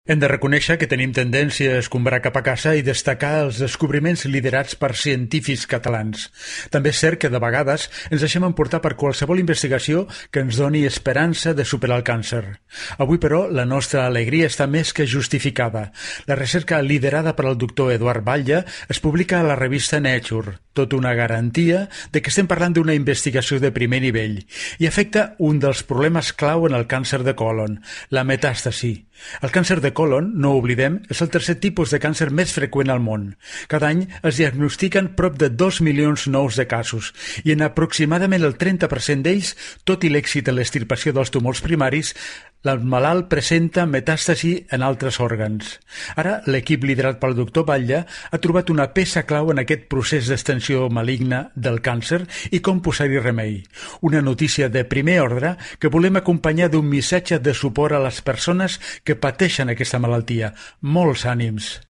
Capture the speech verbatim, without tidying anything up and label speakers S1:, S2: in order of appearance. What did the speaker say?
S1: Hem de reconèixer que tenim tendència a escombrar cap a casa i destacar els descobriments liderats per científics catalans. També és cert que de vegades ens deixem emportar per qualsevol investigació que ens doni esperança de superar el càncer. Avui, però, la nostra alegria està més que justificada. La recerca liderada per el doctor Eduard Batlle es publica a la revista Nature, tot una garantia de que estem parlant d'una investigació de primer nivell i afecta un dels problemes clau en el càncer de còlon, la metàstasi. El càncer de còlon, no ho oblidem, és el tercer tipus de càncer més freqüent al món. Cada any es diagnostiquen prop de dos milions nous de casos i en aproximadament el trenta per cent d'ells, tot i l'èxit en l'extirpació dels tumors primaris, el malalt presenta metàstasi en altres òrgans. Ara, l'equip liderat pel doctor Batlle ha trobat una peça clau en aquest procés d'extensió maligna del càncer i com posar-hi remei. Una notícia de primer ordre que volem acompanyar d'un missatge de suport a les persones que pateixen aquesta malaltia. Molts ànims!